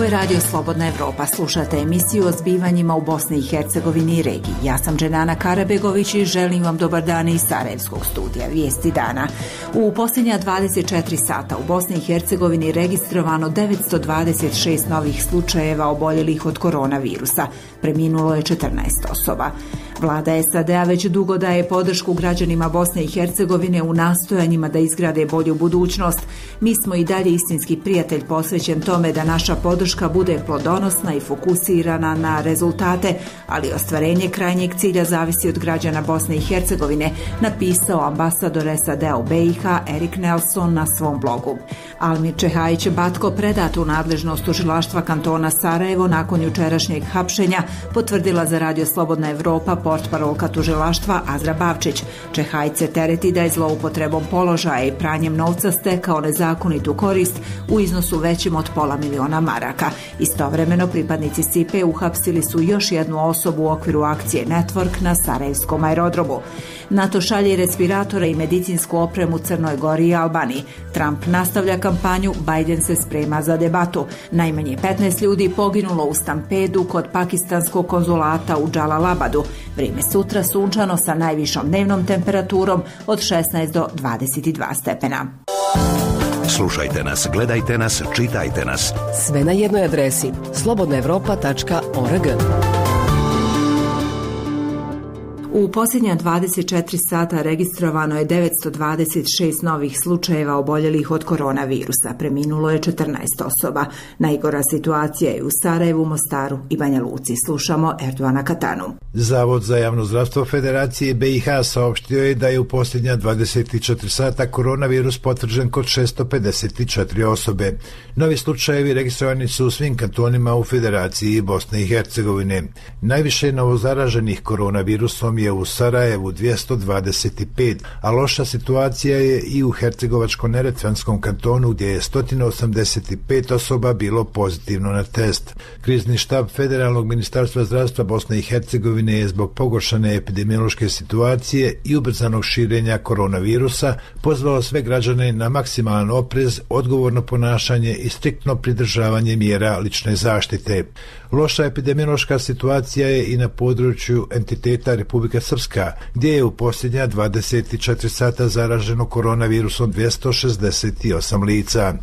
je Radio Slobodna Evropa. Slušate emisiju o zbivanjima u Bosni i Hercegovini i regiji. Ja sam Dženana Karabegović i želim vam dobar dan iz Sarajevskog studija. Vijesti dana. U posljednja 24 sata u Bosni i Hercegovini registrovano 926 novih slučajeva oboljelih od koronavirusa. Preminulo je 14 osoba. Vlada SAD-a već dugo daje podršku građanima Bosne i Hercegovine u nastojanjima da izgrade bolju budućnost. Mi smo i dalje istinski prijatelj posvećen tome da naša podrška bude plodonosna i fokusirana na rezultate, ali ostvarenje krajnjeg cilja zavisi od građana Bosne i Hercegovine, napisao ambasador SAD-a u BiH Erik Nelson na svom blogu. Almir Čehajić Batko predat u nadležnost tužilaštva kantona Sarajevo nakon jučerašnjeg hapšenja, potvrdila za Radio Slobodna Evropa portparolka tužilaštva Azra Bavčić. Čehajić se tereti da je zloupotrebom položaja i pranjem novca stekao nezakonitu korist u iznosu većim od $500.000 maraka. Istovremeno pripadnici SIPE uhapsili su još jednu osobu u okviru akcije Network na Sarajevskom aerodromu. NATO šalje respiratore i medicinsku opremu Crnoj Gori i Albaniji. Trump nastavlja kampanju, Biden se sprema za debatu. Najmanje 15 ljudi poginulo u stampedu kod pakistanskog konzulata u Džalalabadu. Vrijeme sutra sunčano sa najvišom dnevnom temperaturom od 16 do 22 stepena. Slušajte nas, gledajte nas, čitajte nas. Sve na jednoj adresi slobodnaevropa.org. U posljednja 24 sata registrovano je 926 novih slučajeva oboljelih od koronavirusa. Preminulo je 14 osoba. Najgora situacija je u Sarajevu, Mostaru i Banja Luci. Slušamo Erdoana Katanu. Zavod za javno zdravstvo Federacije BiH saopštio je da je u posljednja 24 sata koronavirus potvrđen kod 654 osobe. Novi slučajevi registrovani su u svim kantonima u Federaciji Bosne i Hercegovine. Najviše novozaraženih koronavirusom je u Sarajevu 225, a loša situacija je i u Hercegovačko-neretvanskom kantonu gdje je 185 osoba bilo pozitivno na test. Krizni štab Federalnog ministarstva zdravstva Bosne i Hercegovine je zbog pogoršane epidemiološke situacije i ubrzanog širenja koronavirusa pozvao sve građane na maksimalan oprez, odgovorno ponašanje i striktno pridržavanje mjera lične zaštite. Loša epidemiološka situacija je i na području entiteta Republika Srpska, gdje je u posljednja 24 sata zaraženo koronavirusom 268 lica.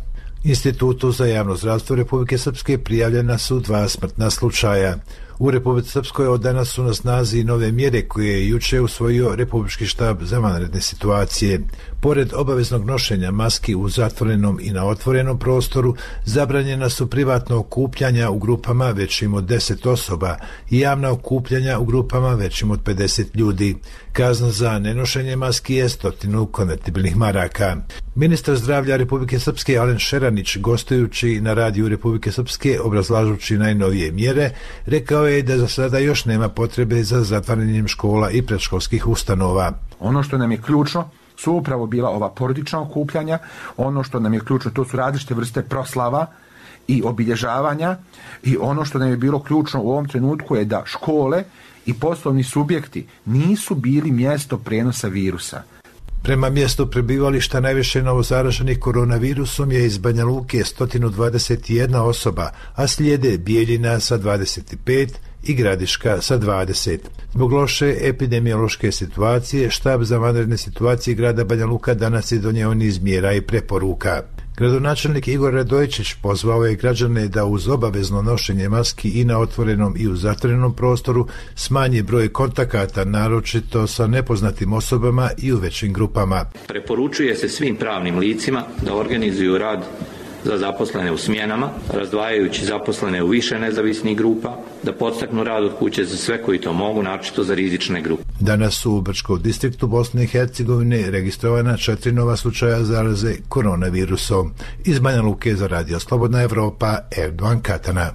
Institutu za javno zdravstvo Republike Srpske prijavljena su 2 smrtna slučaja. U Republici Srpskoj od danas su na snazi nove mjere koje je juče usvojio Republički štab za vanredne situacije. Pored obaveznog nošenja maski u zatvorenom i na otvorenom prostoru, zabranjena su privatna okupljanja u grupama većim od 10 osoba i javna okupljanja u grupama većim od 50 ljudi. Kazna za nenošenje maski je 100 konvertibilnih maraka. Ministar zdravlja Republike Srpske Alen Šeranić, gostujući na radiju Republike Srpske obrazlažući najnovije mjere, rekao je da za sada još nema potrebe za zatvaranjem škola i predškolskih ustanova. Ono što nam je ključno su upravo bila ova porodična okupljanja, ono što nam je ključno to su različite vrste proslava i obilježavanja, i ono što nam je bilo ključno u ovom trenutku je da škole i poslovni subjekti nisu bili mjesto prenosa virusa. Prema mjestu prebivališta najviše novozaraženih koronavirusom je iz Banja Luke 121 osoba, a slijede Bijeljina sa 25 i Gradiška sa 20. Zbog loše epidemiološke situacije, štab za vanredne situacije grada Banja Luka danas je donio niz mjera i preporuka. Gradonačelnik Igor Radojičić pozvao je građane da uz obavezno nošenje maski i na otvorenom i u zatvorenom prostoru smanje broj kontakata, naročito sa nepoznatim osobama i u većim grupama. Preporučuje se svim pravnim licima da organizuju rad za zaposlene u smjenama, razdvajajući zaposlene u više nezavisnih grupa, da podstaknu rad od kuće za sve koji to mogu, naročito za rizične grupe. Danas su u Brčkom distriktu Bosne i Hercegovine registrovana 4 nova slučaja zaraze koronavirusom. Iz Banja Luke za Radio Slobodna Evropa, Erdoan Katana.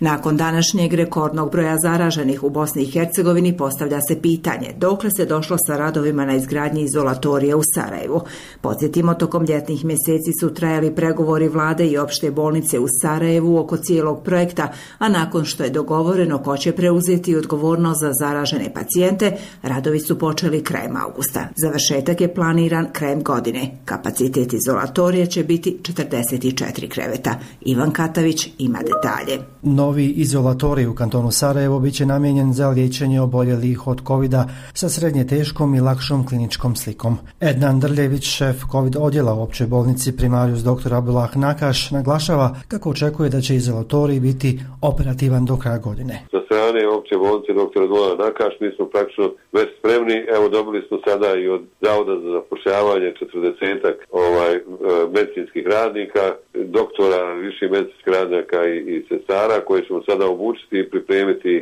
Nakon današnjeg rekordnog broja zaraženih u Bosni i Hercegovini postavlja se pitanje dokle se došlo sa radovima na izgradnji izolatorija u Sarajevu. Podsjetimo, tokom ljetnih mjeseci su trajali pregovori vlade i opšte bolnice u Sarajevu oko cijelog projekta, a nakon što je dogovoreno ko će preuzeti odgovornost za zaražene pacijente, radovi su počeli krajem augusta. Završetak je planiran krajem godine. Kapacitet izolatorija će biti 44 kreveta. Ivan Katavić ima detalje. Novi izolatorij u kantonu Sarajevo biće namijenjen za liječenje oboljelih od covida sa srednje teškom i lakšom kliničkom slikom. Ednan Drljević, šef covid odjela u općoj bolnici primarijus dr. Abdullah Nakaš, naglašava kako očekuje da će izolatorij biti operativan do kraja godine. Sa strane opće bolnice dr. Abdullah Nakaš mi smo praktično već spremni. Evo, dobili smo sada i od Zavoda za zapošljavanje 40-ak medicinskih radnika, doktora, viših medicinskih radnika i sestara koje ćemo sada obučiti i pripremiti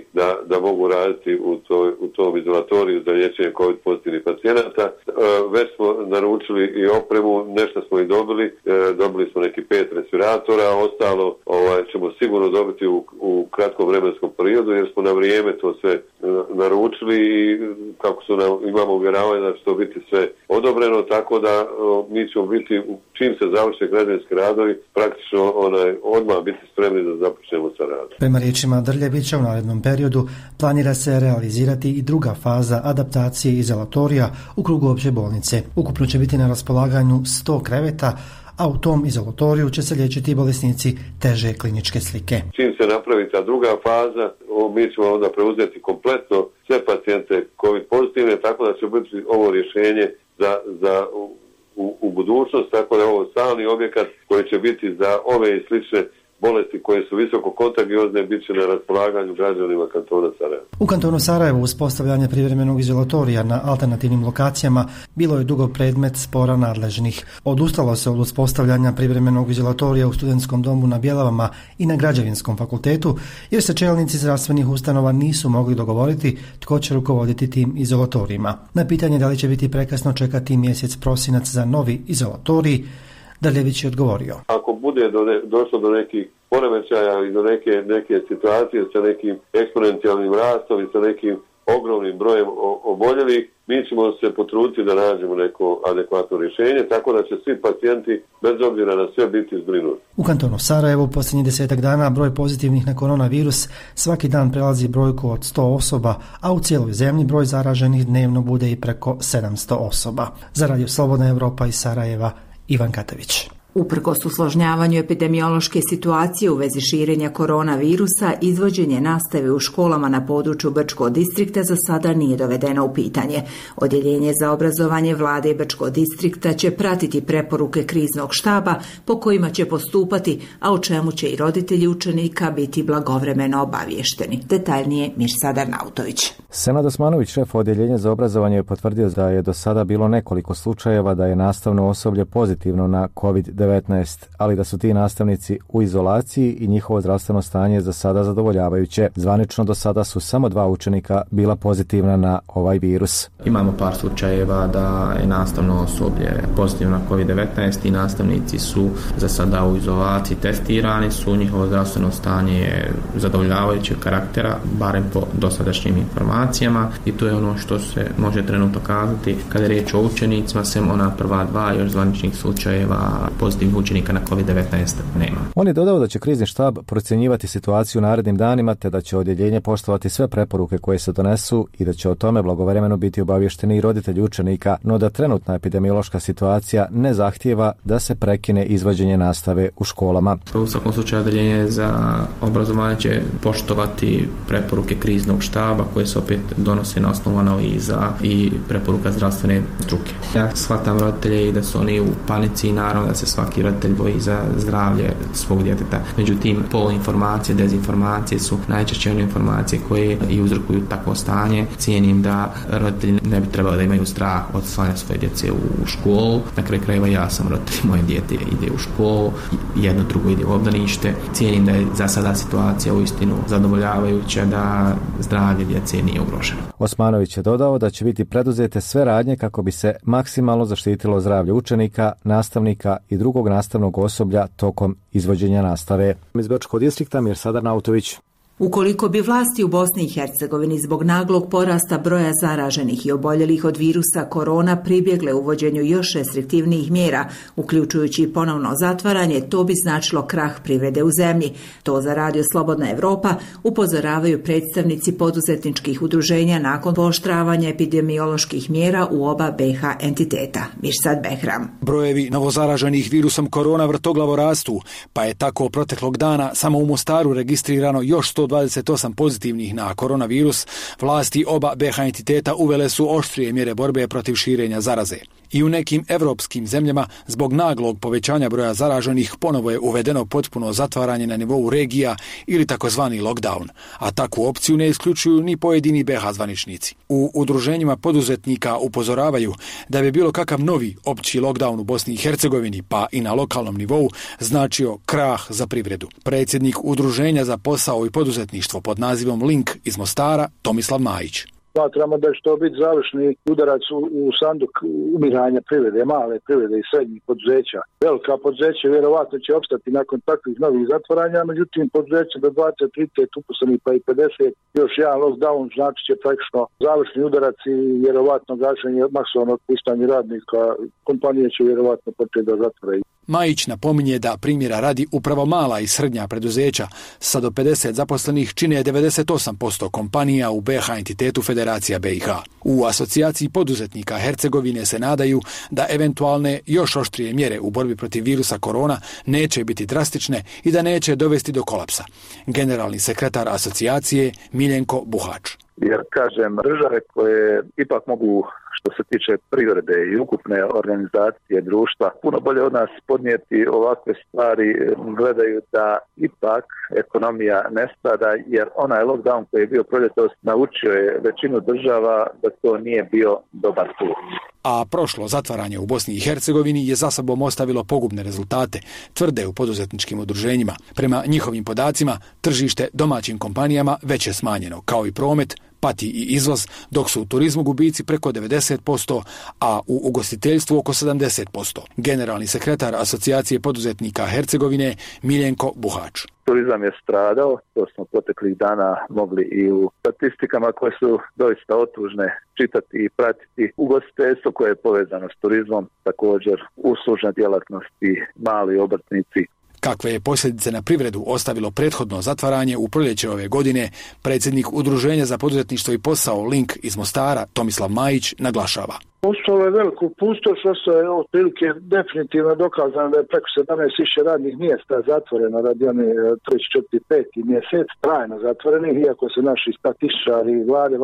da mogu raditi u tom izolatoriju za liječenje COVID pozitivnih pacijenata. Već smo naručili i opremu, nešto smo i dobili smo neki 5 respiratora, ostalo ćemo sigurno dobiti u kratkom vremenskom periodu jer smo na vrijeme to sve naručili i kako imamo uvjeravanje da će to biti sve odobreno, tako da mi ćemo biti, čim se završe građevinski radovi, praktično odmah biti spremni da započnemo sa radom. Prema riječima Drljevića, u narednom periodu planira se realizirati i druga faza adaptacije izolatorija u krugu opće bolnice. Ukupno će biti na raspolaganju 100 kreveta, a u tom izolatoriju će se liječiti bolesnici teže kliničke slike. Čim se napravi ta druga faza, mi ćemo onda preuzeti kompletno sve pacijente COVID pozitivne, tako da će biti ovo rješenje za u budućnost, tako da je ovo stalni objekat koji će biti za ove i slične bolesti koje su visoko kontagiozne bit će na raspolaganju građanima kantona Sarajevo. U kantonu Sarajevo uspostavljanje privremenog izolatorija na alternativnim lokacijama bilo je dugo predmet spora nadležnih. Odustalo se od uspostavljanja privremenog izolatorija u studentskom domu na Bjelavama i na Građevinskom fakultetu, jer se čelnici zdravstvenih ustanova nisu mogli dogovoriti tko će rukovoditi tim izolatorijima. Na pitanje da li će biti prekasno čekati mjesec prosinac za novi izolatorij, Drljević je odgovorio. Ako bude došlo do nekih poremećaja i do neke situacije sa nekim eksponencijalnim rastom i sa nekim ogromnim brojem oboljelih, mi ćemo se potruditi da nađemo neko adekvatno rješenje, tako da će svi pacijenti bez obzira na sve biti zbrinuti. U kantonu Sarajevo posljednjih 10 dana broj pozitivnih na koronavirus svaki dan prelazi brojku od 100 osoba, a u cijeloj zemlji broj zaraženih dnevno bude i preko 700 osoba. Za Radio Slobodna Evropa iz Sarajeva, Ivan Katavić. Uprkos usložnjavanju epidemiološke situacije u vezi širenja koronavirusa, izvođenje nastave u školama na području Brčkog distrikta za sada nije dovedeno u pitanje. Odjeljenje za obrazovanje vlade Brčkog distrikta će pratiti preporuke kriznog štaba po kojima će postupati, a o čemu će i roditelji učenika biti blagovremeno obavješteni. Detaljnije Mirsad Arnautović. Senad Osmanović, šef odjeljenja za obrazovanje, je potvrdio da je do sada bilo nekoliko slučajeva da je nastavno osoblje pozitivno na COVID-19, ali da su ti nastavnici u izolaciji i njihovo zdravstveno stanje je za sada zadovoljavajuće. Zvanično do sada su samo 2 učenika bila pozitivna na ovaj virus. Imamo par slučajeva da je nastavno osoblje pozitivno na COVID-19 i nastavnici su za sada u izolaciji, testirani su, njihovo zdravstveno stanje je zadovoljavajućeg karaktera, barem po dosadašnjim informacijama, i to je ono što se može trenutno kazati kada je riječ o učenicima, sem ona prva 2 još zvaničnih slučajeva pozitivnih učenika na COVID-19 nema. On je dodao da će krizni štab procjenjivati situaciju u narednim danima, te da će odjeljenje poštovati sve preporuke koje se donesu i da će o tome blagovremeno biti obavješteni i roditelji učenika, no da trenutna epidemiološka situacija ne zahtijeva da se prekine izvođenje nastave u školama. U svakom slučaju odjeljenje za obrazovanje će poštovati preporuke kriznog štaba koje se opet donose na osnovu analiza i preporuka zdravstvene struke. Ja shvatam roditelje i da su oni u panici i naravno da se svaki roditelj boji za zdravlje svog djeteta. Međutim, poluinformacije, dezinformacije su najčešće one informacije koje i uzrokuju takvo stanje. Cijenim da roditelji ne bi trebali da imaju strah od slanja svoje djece u školu. Na kraju krajeva ja sam roditelj, moje dijete ide u školu, jedno drugo ide u obdanište. Cijenim da je za sada situacija uistinu zadovoljavajuća, da zdravlje djece nije ugroženo. Osmanović je dodao da će biti preduzete sve radnje kako bi se maksimalno zaštitilo zdravlje učenika, nastavnika i drugog drugog nastavnog osoblja tokom izvođenja nastave. Iz Bečkog distrikta Mirsad Arnautović. Ukoliko bi vlasti u Bosni i Hercegovini zbog naglog porasta broja zaraženih i oboljelih od virusa korona pribjegle uvođenju još restriktivnijih mjera, uključujući i ponovno zatvaranje, to bi značilo krah privrede u zemlji. To za Radio Slobodna Evropa upozoravaju predstavnici poduzetničkih udruženja nakon pooštravanja epidemioloških mjera u oba BiH entiteta. Mirsad Behram. Brojevi novozaraženih virusom korona vrtoglavo rastu, pa je tako proteklog dana samo u Mostaru registrirano još 128 pozitivnih na koronavirus. Vlasti oba BiH entiteta uvele su oštrije mjere borbe protiv širenja zaraze. I u nekim evropskim zemljama zbog naglog povećanja broja zaraženih ponovo je uvedeno potpuno zatvaranje na nivou regija ili takozvani lockdown, a takvu opciju ne isključuju ni pojedini BiH zvaničnici. U udruženjima poduzetnika upozoravaju da bi bilo kakav novi opći lockdown u Bosni i Hercegovini, pa i na lokalnom nivou, značio krah za privredu. Predsjednik Udruženja za posao i poduzetništvo pod nazivom Link iz Mostara, Tomislav Majić. Smatramo da će to biti završni udarac u sanduk umiranja privrede, male privrede i srednjih poduzeća. Velika poduzeća vjerovatno će opstati nakon takvih novih zatvaranja, međutim poduzeća do 20-30 uposlenih pa i 50, još jedan lockdown znači će praktično završni udarac i vjerovatno gašenje masovnog otpuštanja radnika. Kompanije će vjerovatno početi da zatvaraju. Majić napominje da primjera radi upravo mala i srednja preduzeća sa do 50 zaposlenih čine 98% kompanija u BiH entitetu Federacija BiH. U asocijaciji poduzetnika Hercegovine se nadaju da eventualne još oštrije mjere u borbi protiv virusa korona neće biti drastične i da neće dovesti do kolapsa. Generalni sekretar asocijacije Miljenko Buhač. Jer, kažem, države koje ipak mogu, što se tiče privrede i ukupne organizacije društva, puno bolje od nas podnijeti ovakve stvari, gledaju da ipak ekonomija ne strada, jer onaj lockdown koji je bio proljetos naučio je većinu država da to nije bio dobar put. A prošlo zatvaranje u Bosni i Hercegovini je za sobom ostavilo pogubne rezultate, tvrde u poduzetničkim udruženjima. Prema njihovim podacima, tržište domaćim kompanijama već je smanjeno, kao i promet, pati i izvoz, dok su u turizmu gubici preko 90%, a u ugostiteljstvu oko 70%. Generalni sekretar Asocijacije poduzetnika Hercegovine Miljenko Buhač. Turizam je stradao, to smo proteklih dana mogli i u statistikama koje su doista otužne čitati i pratiti. Ugostiteljstvo koje je povezano s turizmom, također uslužne djelatnosti, mali obrtnici. Kakve je posljedice na privredu ostavilo prethodno zatvaranje u proljeće ove godine, predsjednik Udruženja za poduzetništvo i posao Link iz Mostara Tomislav Majić naglašava. Ostalo je veliku pustoš, ostalo je otprilike definitivno dokazano da je preko 17.000 radnih mjesta zatvoreno radi one 3., 4., 5. mjesec, trajno zatvorenih, iako se naši statističari i vlade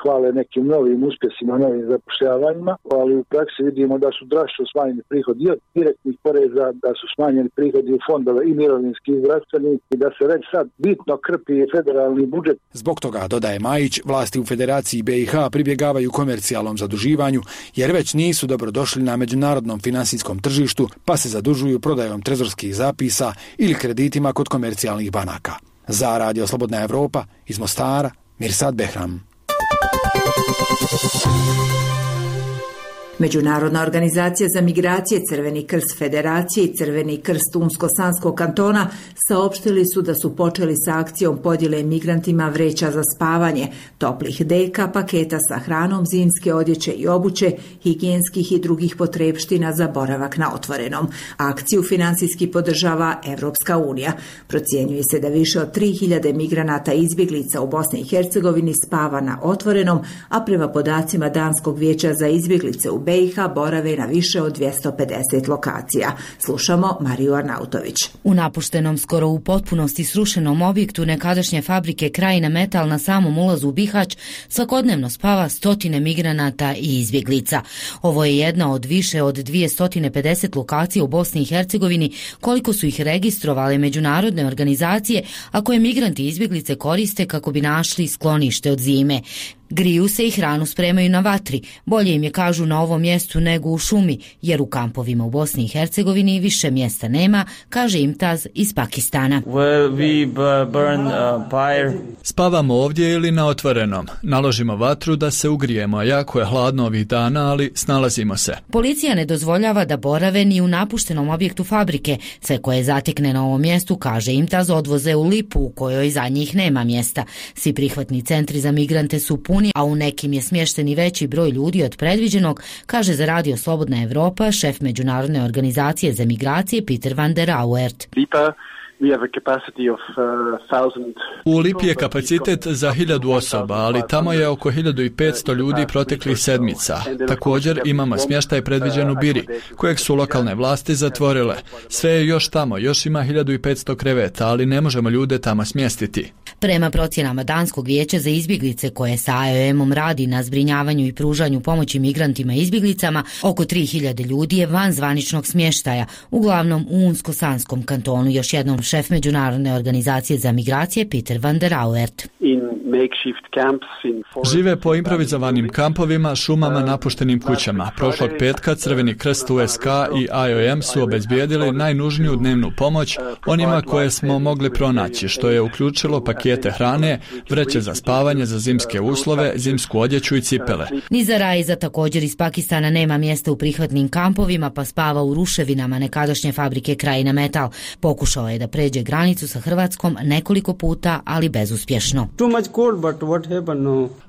hvale nekim novim uspjesima, novim zapošljavanjima, ali u praksi vidimo da su drastično smanjeni prihodi od direktnih poreza, da su smanjeni prihodi u fondove i mirovinski i zdravstveni i da se već sad bitno krpi federalni budžet. Zbog toga, dodaje Majić, vlasti u Federaciji BiH pribjegavaju komercijalnom zaduživanju, jer već nisu dobro došli na međunarodnom finansijskom tržištu, pa se zadužuju prodajom trezorskih zapisa ili kreditima kod komercijalnih banaka. Za Radio Slobodna Evropa iz Mostara, Mirsad Behram. Međunarodna organizacija za migracije, Crveni krst Federacije i Crveni krst Unsko-Sanskog kantona saopštili su da su počeli sa akcijom podjele migrantima vreća za spavanje, toplih deka, paketa sa hranom, zimske odjeće i obuće, higijenskih i drugih potrepština za boravak na otvorenom. Akciju finansijski podržava Evropska unija. Procjenjuje se da više od 3000 migranata i izbjeglica u Bosni i Hercegovini spava na otvorenom, a prema podacima Danskog vijeća za izbjeglice u BiH borave na više od 250 lokacija. Slušamo Mariju Arnautović. U napuštenom, skoro u potpunosti srušenom objektu nekadašnje fabrike Krajina Metal na samom ulazu u Bihać svakodnevno spava stotine migranata i izbjeglica. Ovo je jedna od više od 250 lokacija u Bosni i Hercegovini, koliko su ih registrovale međunarodne organizacije, a koje migranti i izbjeglice koriste kako bi našli sklonište od zime. Griju se i hranu spremaju na vatri. Bolje im je, kažu, na ovom mjestu nego u šumi, jer u kampovima u Bosni i Hercegovini više mjesta nema, kaže Imtaz iz Pakistana. Spavamo ovdje ili na otvorenom. Naložimo vatru da se ugrijemo, jako je hladno ovih dana, ali snalazimo se. Policija ne dozvoljava da borave ni u napuštenom objektu fabrike. Sve koje zatekne na ovom mjestu, kaže Imtaz, odvoze u Lipu u kojoj za njih nema mjesta. Svi prihvatni centri za migrante su puni, a u nekim je smješten i veći broj ljudi od predviđenog, kaže za Radio Slobodna Evropa šef Međunarodne organizacije za migracije Peter van der Auwert. U Lipi je kapacitet za 1000 osoba, ali tamo je oko 1500 ljudi proteklih sedmica. Također imamo smještaj predviđen u Biri, kojeg su lokalne vlasti zatvorile. Sve je još tamo, još ima 1500 kreveta, ali ne možemo ljude tamo smjestiti. Prema procjenama Danskog vijeća za izbjeglice koje sa IOM-om radi na zbrinjavanju i pružanju pomoći migrantima i izbjeglicama, oko 3000 ljudi je van zvaničnog smještaja, uglavnom u Unsko-Sanskom kantonu, još jednom šef Međunarodne organizacije za migracije Peter van der Auwert. Žive po improvizovanim kampovima, šumama, napuštenim kućama. Prošlog petka Crveni krst USK i IOM su obezbijedili najnužniju dnevnu pomoć onima koje smo mogli pronaći, što je uključilo pakete hrane, vreće za spavanje, za zimske uslove, zimsku odjeću i cipele. Niza Raiza, također iz Pakistana, nema mjesta u prihvatnim kampovima, pa spava u ruševinama nekadašnje fabrike Krajina Metal. Pokušao je da pređe granicu sa Hrvatskom nekoliko puta, ali bezuspješno.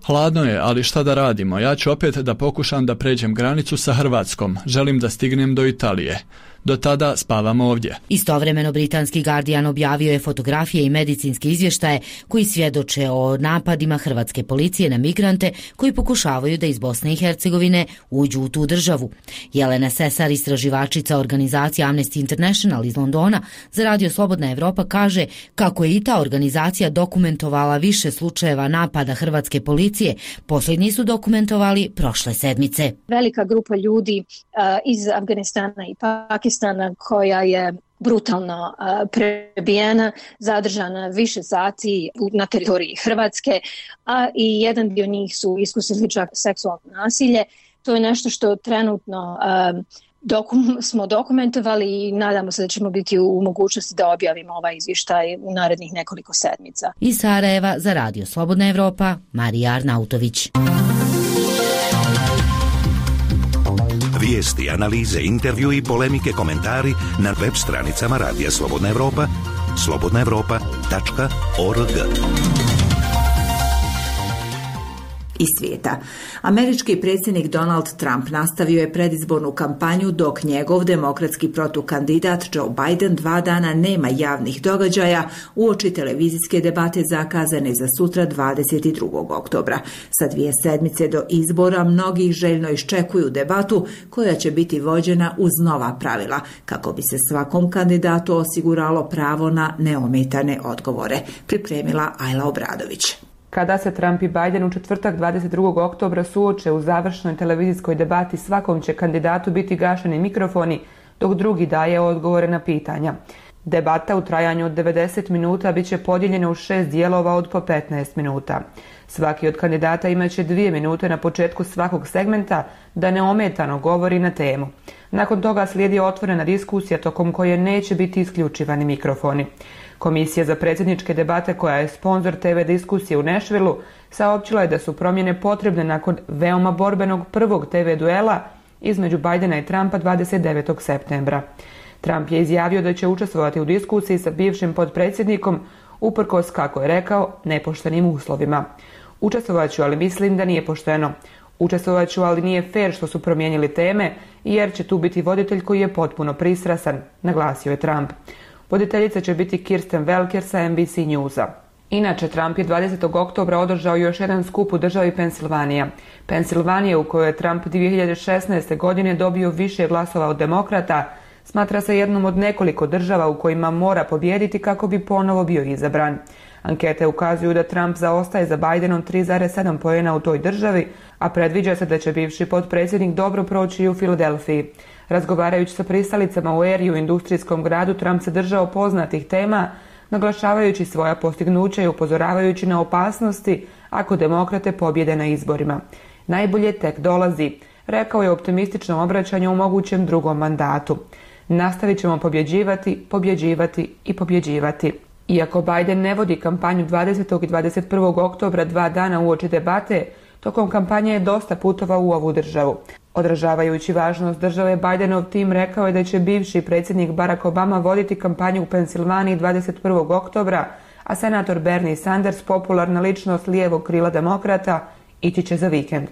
Hladno je, ali šta da radimo? Ja ću opet da pokušam da pređem granicu sa Hrvatskom. Želim da stignem do Italije. Do tada spavamo ovdje. Istovremeno britanski Guardian objavio je fotografije i medicinske izvještaje koji svjedoče o napadima hrvatske policije na migrante koji pokušavaju da iz Bosne i Hercegovine uđu u tu državu. Jelena Sesar, istraživačica organizacije Amnesty International iz Londona, za Radio Slobodna Evropa kaže kako je i ta organizacija dokumentovala više slučajeva napada hrvatske policije. Posljednji su dokumentovali prošle sedmice. Velika grupa ljudi iz Afganistana i Pakistana koja je brutalno prebijena, zadržana više sati na teritoriji Hrvatske, a i jedan dio njih su iskusili čak seksualno nasilje. To je nešto što trenutno smo dokumentovali i nadamo se da ćemo biti u mogućnosti da objavimo ovaj izvještaj u narednih nekoliko sedmica. Iz Sarajeva za Radio Slobodna Evropa, Marija Arnautović. Vijesti, analize, intervju i polemike, komentari na web stranicama Radija Slobodna Evropa, slobodnaevropa.org. Iz svijeta. Američki predsjednik Donald Trump nastavio je predizbornu kampanju dok njegov demokratski protukandidat Joe Biden 2 dana nema javnih događaja uoči televizijske debate zakazane za sutra 22. oktobra. Sa 2 sedmice do izbora mnogi željno iščekuju debatu koja će biti vođena uz nova pravila kako bi se svakom kandidatu osiguralo pravo na neometane odgovore. Pripremila Ajla Obradović. Kada se Trump i Biden u četvrtak 22. oktobra suoče u završnoj televizijskoj debati, svakom će kandidatu biti gašeni mikrofoni, dok drugi daje odgovore na pitanja. Debata u trajanju od 90 minuta bit će podijeljena u 6 dijelova od po 15 minuta. Svaki od kandidata imaće 2 minute na početku svakog segmenta da neometano govori na temu. Nakon toga slijedi otvorena diskusija tokom koje neće biti isključivani mikrofoni. Komisija za predsjedničke debate, koja je sponzor TV diskusije u Nashvilleu, saopćila je da su promjene potrebne nakon veoma borbenog prvog TV duela između Bidena i Trumpa 29. septembra. Trump je izjavio da će učestvovati u diskusiji sa bivšim potpredsjednikom uprkos, kako je rekao, nepoštenim uslovima. Učestvovat ću, ali mislim da nije pošteno. Učestvovat ću, ali nije fair što su promijenili teme, jer će tu biti voditelj koji je potpuno pristrasan, naglasio je Trump. Voditeljica će biti Kirsten Welker sa NBC Newsa. Inače, Trump je 20. oktobra održao još jedan skup u državi Pensilvanija. Pensilvanija, u kojoj je Trump 2016. godine dobio više glasova od demokrata, smatra se jednom od nekoliko država u kojima mora pobijediti kako bi ponovo bio izabran. Ankete ukazuju da Trump zaostaje za Bidenom 3,7 poena u toj državi, a predviđa se da će bivši potpredsjednik dobro proći i u Filadelfiji. Razgovarajući sa pristalicama u Eriju, industrijskom gradu, Trump se držao poznatih tema, naglašavajući svoja postignuća i upozoravajući na opasnosti ako demokrate pobjede na izborima. Najbolje tek dolazi, rekao je u optimističnom obraćanju u mogućem drugom mandatu. Nastavit ćemo pobjeđivati, pobjeđivati i pobjeđivati. Iako Biden ne vodi kampanju 20. i 21. oktobra 2 dana uoči debate, tokom kampanje je dosta putovao u ovu državu. Odražavajući važnost države, Bidenov tim rekao je da će bivši predsjednik Barack Obama voditi kampanju u Pensilvaniji 21. oktobra, a senator Bernie Sanders, popularna ličnost lijevog krila demokrata, ići će za vikend.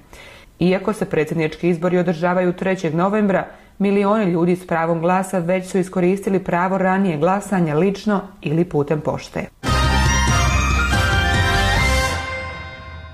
Iako se predsjednički izbori održavaju 3. novembra, milioni ljudi s pravom glasa već su iskoristili pravo ranije glasanja lično ili putem pošte.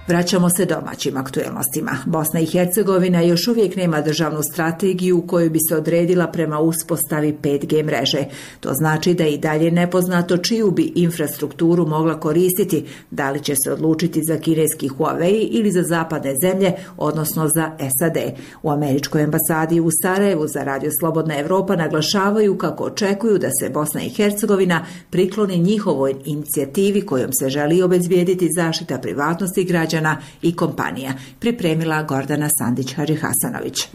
Vraćamo se domaćim aktuelnostima. Bosna i Hercegovina još uvijek nema državnu strategiju u kojoj bi se odredila prema uspostavi 5G mreže. To znači da je i dalje nepoznato čiju bi infrastrukturu mogla koristiti, da li će se odlučiti za kineski Huawei ili za zapadne zemlje, odnosno za SAD. U američkoj ambasadi u Sarajevu za Radio Slobodna Evropa naglašavaju kako očekuju da se Bosna i Hercegovina prikloni njihovoj inicijativi kojom se želi obezbijediti zaštita privatnosti građana i kompanija, pripremila Gordana Sandić-Hadžihasanović.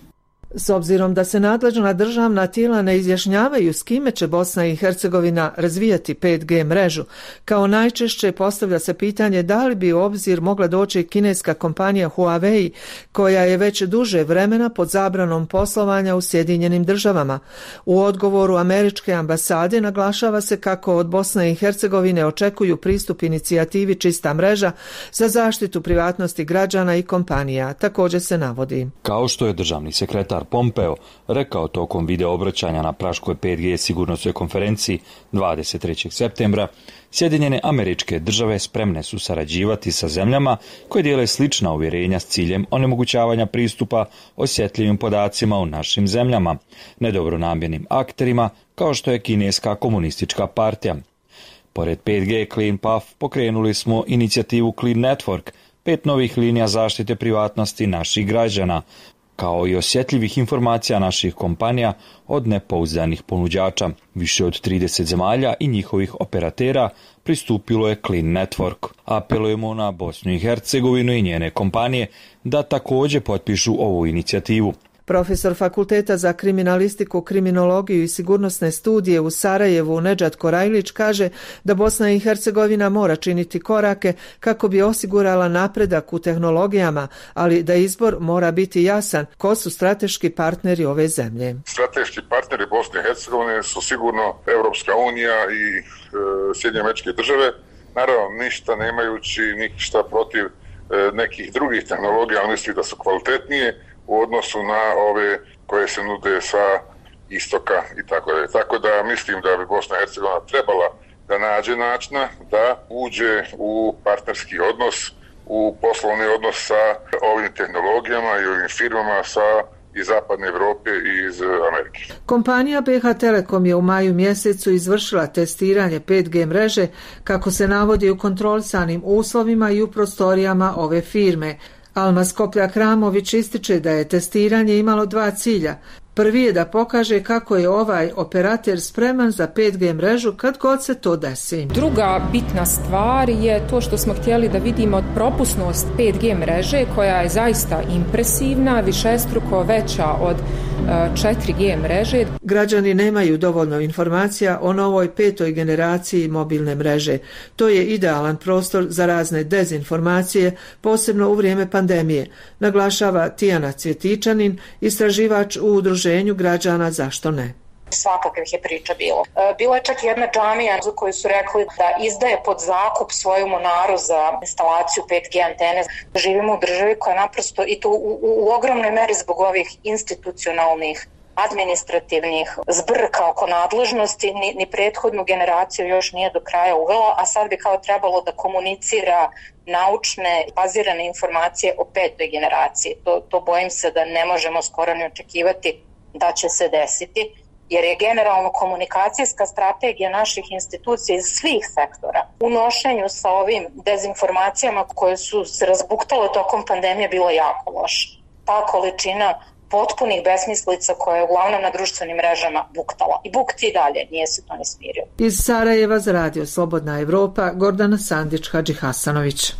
S obzirom da se nadležna državna tijela ne izjašnjavaju s kime će Bosna i Hercegovina razvijati 5G mrežu, kao najčešće postavlja se pitanje da li bi u obzir mogla doći kineska kompanija Huawei, koja je već duže vremena pod zabranom poslovanja u Sjedinjenim državama. U odgovoru američke ambasade naglašava se kako od Bosne i Hercegovine očekuju pristup inicijativi Čista mreža za zaštitu privatnosti građana i kompanija. Također se navodi: kao što je državni sekretar Pompeo rekao tokom video obraćanja na Praškoj 5G sigurnosnoj konferenciji 23. septembra, Sjedinjene Američke Države spremne su sarađivati sa zemljama koje dijele slična uvjerenja s ciljem onemogućavanja pristupa osjetljivim podacima u našim zemljama, nedobronamjernim akterima kao što je Kineska komunistička partija. Pored 5G Clean Path pokrenuli smo inicijativu Clean Network, 5 novih linija zaštite privatnosti naših građana, kao i osjetljivih informacija naših kompanija od nepouzdanih ponuđača. Više od 30 zemalja i njihovih operatera pristupilo je Clean Network. Apelujemo na Bosnu i Hercegovinu i njene kompanije da također potpišu ovu inicijativu. Profesor Fakulteta za kriminalistiku, kriminologiju i sigurnosne studije u Sarajevu Nedžad Korajlić kaže da Bosna i Hercegovina mora činiti korake kako bi osigurala napredak u tehnologijama, ali da izbor mora biti jasan. Ko su strateški partneri ove zemlje? Strateški partneri Bosne i Hercegovine su sigurno Europska unija i Sjedinjene Američke Države. Naravno, ništa nemajući ništa protiv nekih drugih tehnologija, ali misli da su kvalitetnije u odnosu na ove koje se nude sa istoka i tako dalje. Tako da mislim da bi Bosna i Hercegovina trebala da nađe načina da uđe u partnerski odnos, u poslovni odnos sa ovim tehnologijama i ovim firmama sa iz zapadne Evrope i iz Amerike. Kompanija BH Telekom je u maju mjesecu izvršila testiranje 5G mreže, kako se navodi, u kontrolisanim uslovima i u prostorijama ove firme. Alma Skoplja-Kramović ističe da je testiranje imalo 2 cilja. Prvi je da pokaže kako je ovaj operater spreman za 5G mrežu kad god se to desi. Druga bitna stvar je to što smo htjeli da vidimo propusnost 5G mreže, koja je zaista impresivna, višestruko veća od 4G mreže. Građani nemaju dovoljno informacija o novoj 5. generaciji mobilne mreže. To je idealan prostor za razne dezinformacije, posebno u vrijeme pandemije, naglašava Tijana Cvjetičanin, istraživač u udruženju građana Zašto ne. Svakakvih je priča bilo. Bilo je čak jedna džamija za koju su rekli da izdaje pod zakup svoju monaru za instalaciju 5G antene. Živimo u državi koja naprosto, i to u ogromnoj meri zbog ovih institucionalnih, administrativnih zbrka oko nadležnosti, ni prethodnu generaciju još nije do kraja uvela, a sad bi kao trebalo da komunicira naučne, bazirane informacije o 5. generaciji. To bojim se da ne možemo skoro ni očekivati da će se desiti, jer je generalno komunikacijska strategija naših institucija iz svih sektora u nošenju sa ovim dezinformacijama koje su se razbuktale tokom pandemije bila jako loša. Ta količina potpunih besmislica koja je uglavnom na društvenim mrežama buktala. I bukti i dalje, nije se to ni smirio. Iz Sarajeva za Radio Slobodna Evropa, Gordana Sandić-Hadžihasanović.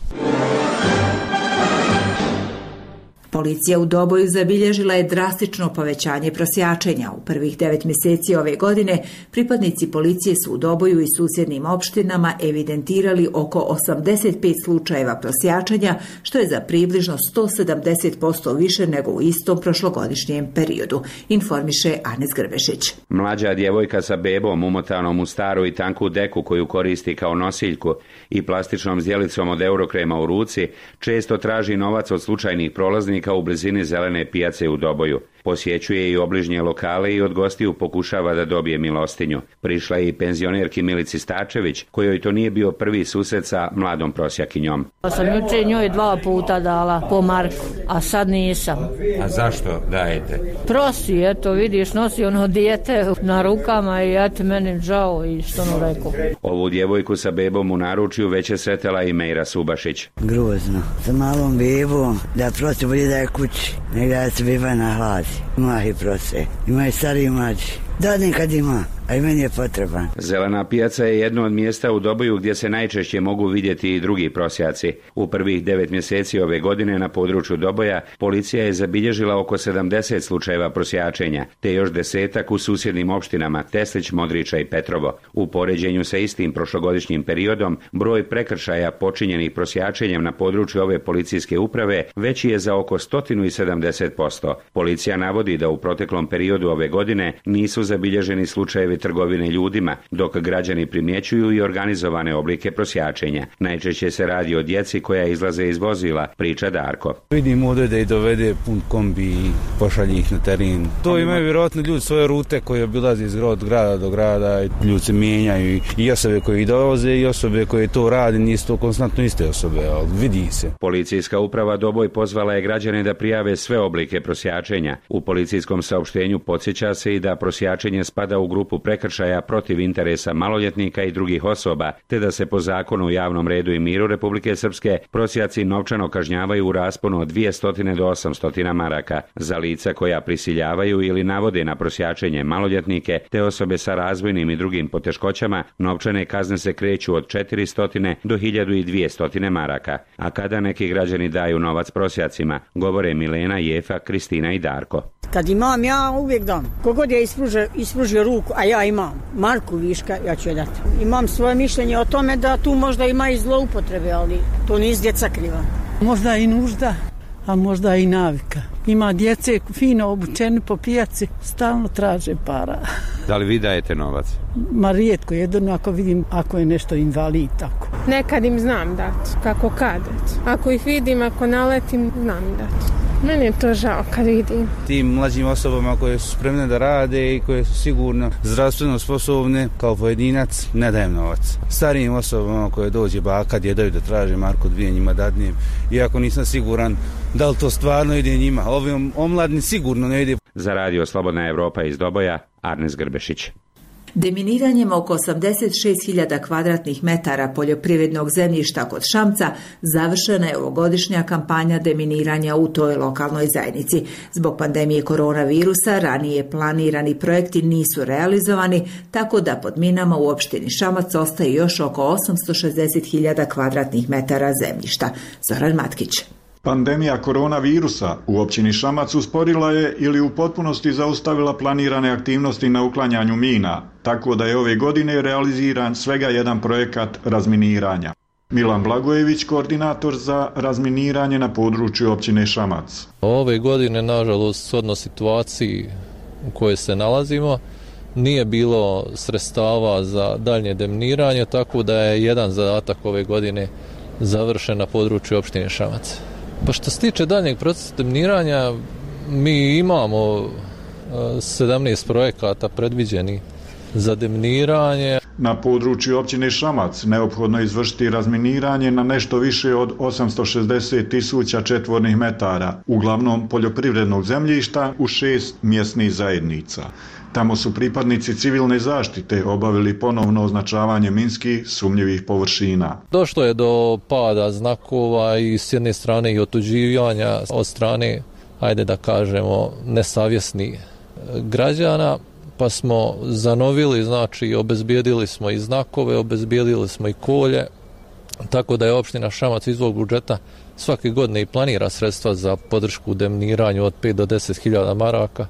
Policija u Doboju zabilježila je drastično povećanje prosjačenja. U prvih 9 mjeseci ove godine pripadnici policije su u Doboju i susjednim opštinama evidentirali oko 85 slučajeva prosjačenja, što je za približno 170% više nego u istom prošlogodišnjem periodu, informiše Anes Grbešić. Mlađa djevojka sa bebom umotanom u staru i tanku deku koju koristi kao nosiljku i plastičnom zdjelicom od eurokrema u ruci često traži novac od slučajnih prolaznika u blizini zelene pijace u Doboju. Posjećuje i obližnje lokale i od gostiju pokušava da dobije milostinju. Prišla je i penzionerki Milici Stačević, kojoj to nije bio prvi susret sa mladom prosjakinjom. Sam jučer njoj 2 puta dala po marku, a sad nisam. A zašto dajete? Prosi, eto vidiš, nosi ono dijete na rukama i eto meni žao i što ono rekao. Ovu djevojku sa bebom u naručju već je sretela i Mejra Subašić. Grozno, sa malom bebom, da prosi bolje da je kući, nego da se beba na hladi. Ima i prose, ima i stari i mlađi. Da, nekad ima, a i meni je potreban. Zelena pijaca je jedno od mjesta u Doboju gdje se najčešće mogu vidjeti i drugi prosjaci. U prvih 9 mjeseci ove godine na području Doboja policija je zabilježila oko 70 slučajeva prosjačenja, te još 10-ak u susjednim opštinama Teslić, Modriča i Petrovo. U poređenju sa istim prošlogodišnjim periodom, broj prekršaja počinjenih prosjačenjem na području ove policijske uprave veći je za oko 170%. Policija navodi da u proteklom periodu ove godine nisu zabilježeni slučajevi trgovine ljudima, dok građani primjećuju i organizovane oblike prosjačenja. Najčešće se radi o djeci koja izlaze iz vozila, priča Darko. Vidim ovdje da i dovede pun kombi i pošalje ih na teren. To imaju vjerojatno ljudi svoje rute koje obilaze iz grada do grada, ljudi se mijenjaju i osobe koje dolaze i osobe koje to rade, nisu to konstantno iste osobe, ali vidi se. Policijska uprava Doboj pozvala je građane da prijave sve oblike prosjačenja. U policijskom saopštenju podsjeća se i da prosjačenje spada u grupu prekršaja protiv interesa maloljetnika i drugih osoba, te da se po zakonu o javnom redu i miru Republike Srpske prosjaci novčano kažnjavaju u rasponu od 200 do 800 maraka. Za lica koja prisiljavaju ili navode na prosjačenje maloljetnike te osobe sa razvojnim i drugim poteškoćama, novčane kazne se kreću od 400 do 1200 maraka. A kada neki građani daju novac prosjacima, govore Milena, Jefa, Kristina i Darko. Kad imam, ja uvijek dam. Kogod je ispružio ruku, a ja imam marku viška, ja ću je dati. Imam svoje mišljenje o tome da tu možda ima i zloupotrebe, ali to nisu djeca kriva. Možda i nužda, a možda i navika. Ima djece fino obučeni po pijaci, stalno traže para. Da li vi dajete novac? Ma rijetko, jedino ako vidim ako je nešto invalid, tako. Nekad im znam dati, kako kad. Ako ih vidim, ako naletim, znam im dati. Meni je to žao kad vidim. Tim mlađim osobama koje su spremne da rade i koje su sigurno zdravstveno sposobne, kao pojedinac, ne dajem novac. Starijim osobama koje dođe baka, djedaju da traže marku 2, njima dadnem, iako nisam siguran da li to stvarno ide njima. Ovim omladni sigurno ne ide. Za radio Slobodna Evropa iz Doboja, Arnes Grbešić. Deminiranjem oko 86.000 kvadratnih metara poljoprivrednog zemljišta kod Šamca završena je ovogodišnja kampanja deminiranja u toj lokalnoj zajednici. Zbog pandemije koronavirusa ranije planirani projekti nisu realizovani, tako da pod minama u opštini Šamac ostaje još oko 860.000 kvadratnih metara zemljišta. Zoran Matkić. Pandemija koronavirusa u općini Šamac usporila je ili u potpunosti zaustavila planirane aktivnosti na uklanjanju mina, tako da je ove godine realiziran svega jedan projekat razminiranja. Milan Blagojević, koordinator za razminiranje na području općine Šamac. Ove godine, nažalost, shodno situaciji u kojoj se nalazimo, nije bilo sredstava za daljnje deminiranje, tako da je jedan zadatak ove godine završen na području opštine Šamac. Pa što se tiče daljnjeg procesa deminiranja, mi imamo 17 projekata predviđeni za deminiranje. Na području općine Šamac neophodno je izvršiti razminiranje na nešto više od 860.000 četvornih metara, uglavnom poljoprivrednog zemljišta u 6 mjesnih zajednica. Tamo su pripadnici civilne zaštite obavili ponovno označavanje minski sumnjivih površina. Došlo je do pada znakova i s jedne strane i otuđivanja od strane, ajde da kažemo, nesavjesnih građana, pa smo zanovili, znači obezbijedili smo i znakove, obezbijedili smo i kolje, tako da je opština Šamac iz svog budžeta svake godine i planira sredstva za podršku u deminiranju od 5 do 10.000 maraka,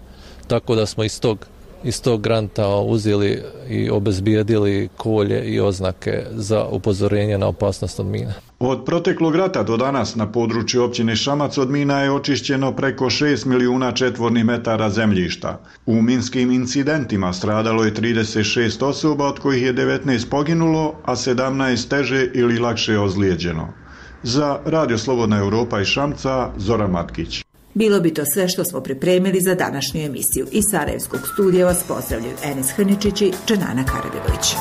tako da smo iz tog granta uzeli i obezbijedili kolje i oznake za upozorenje na opasnost od mina. Od proteklog rata do danas na području općine Šamac od mina je očišćeno preko 6 milijuna četvornih metara zemljišta. U minskim incidentima stradalo je 36 osoba, od kojih je 19 poginulo, a 17 teže ili lakše ozlijeđeno. Za Radio Slobodna Europa iz Šamca, Zoran Matkić. Bilo bi to sve što smo pripremili za današnju emisiju. Iz Sarajevskog studija vas pozdravljaju Enis Hrničić i Dženana Karabegović.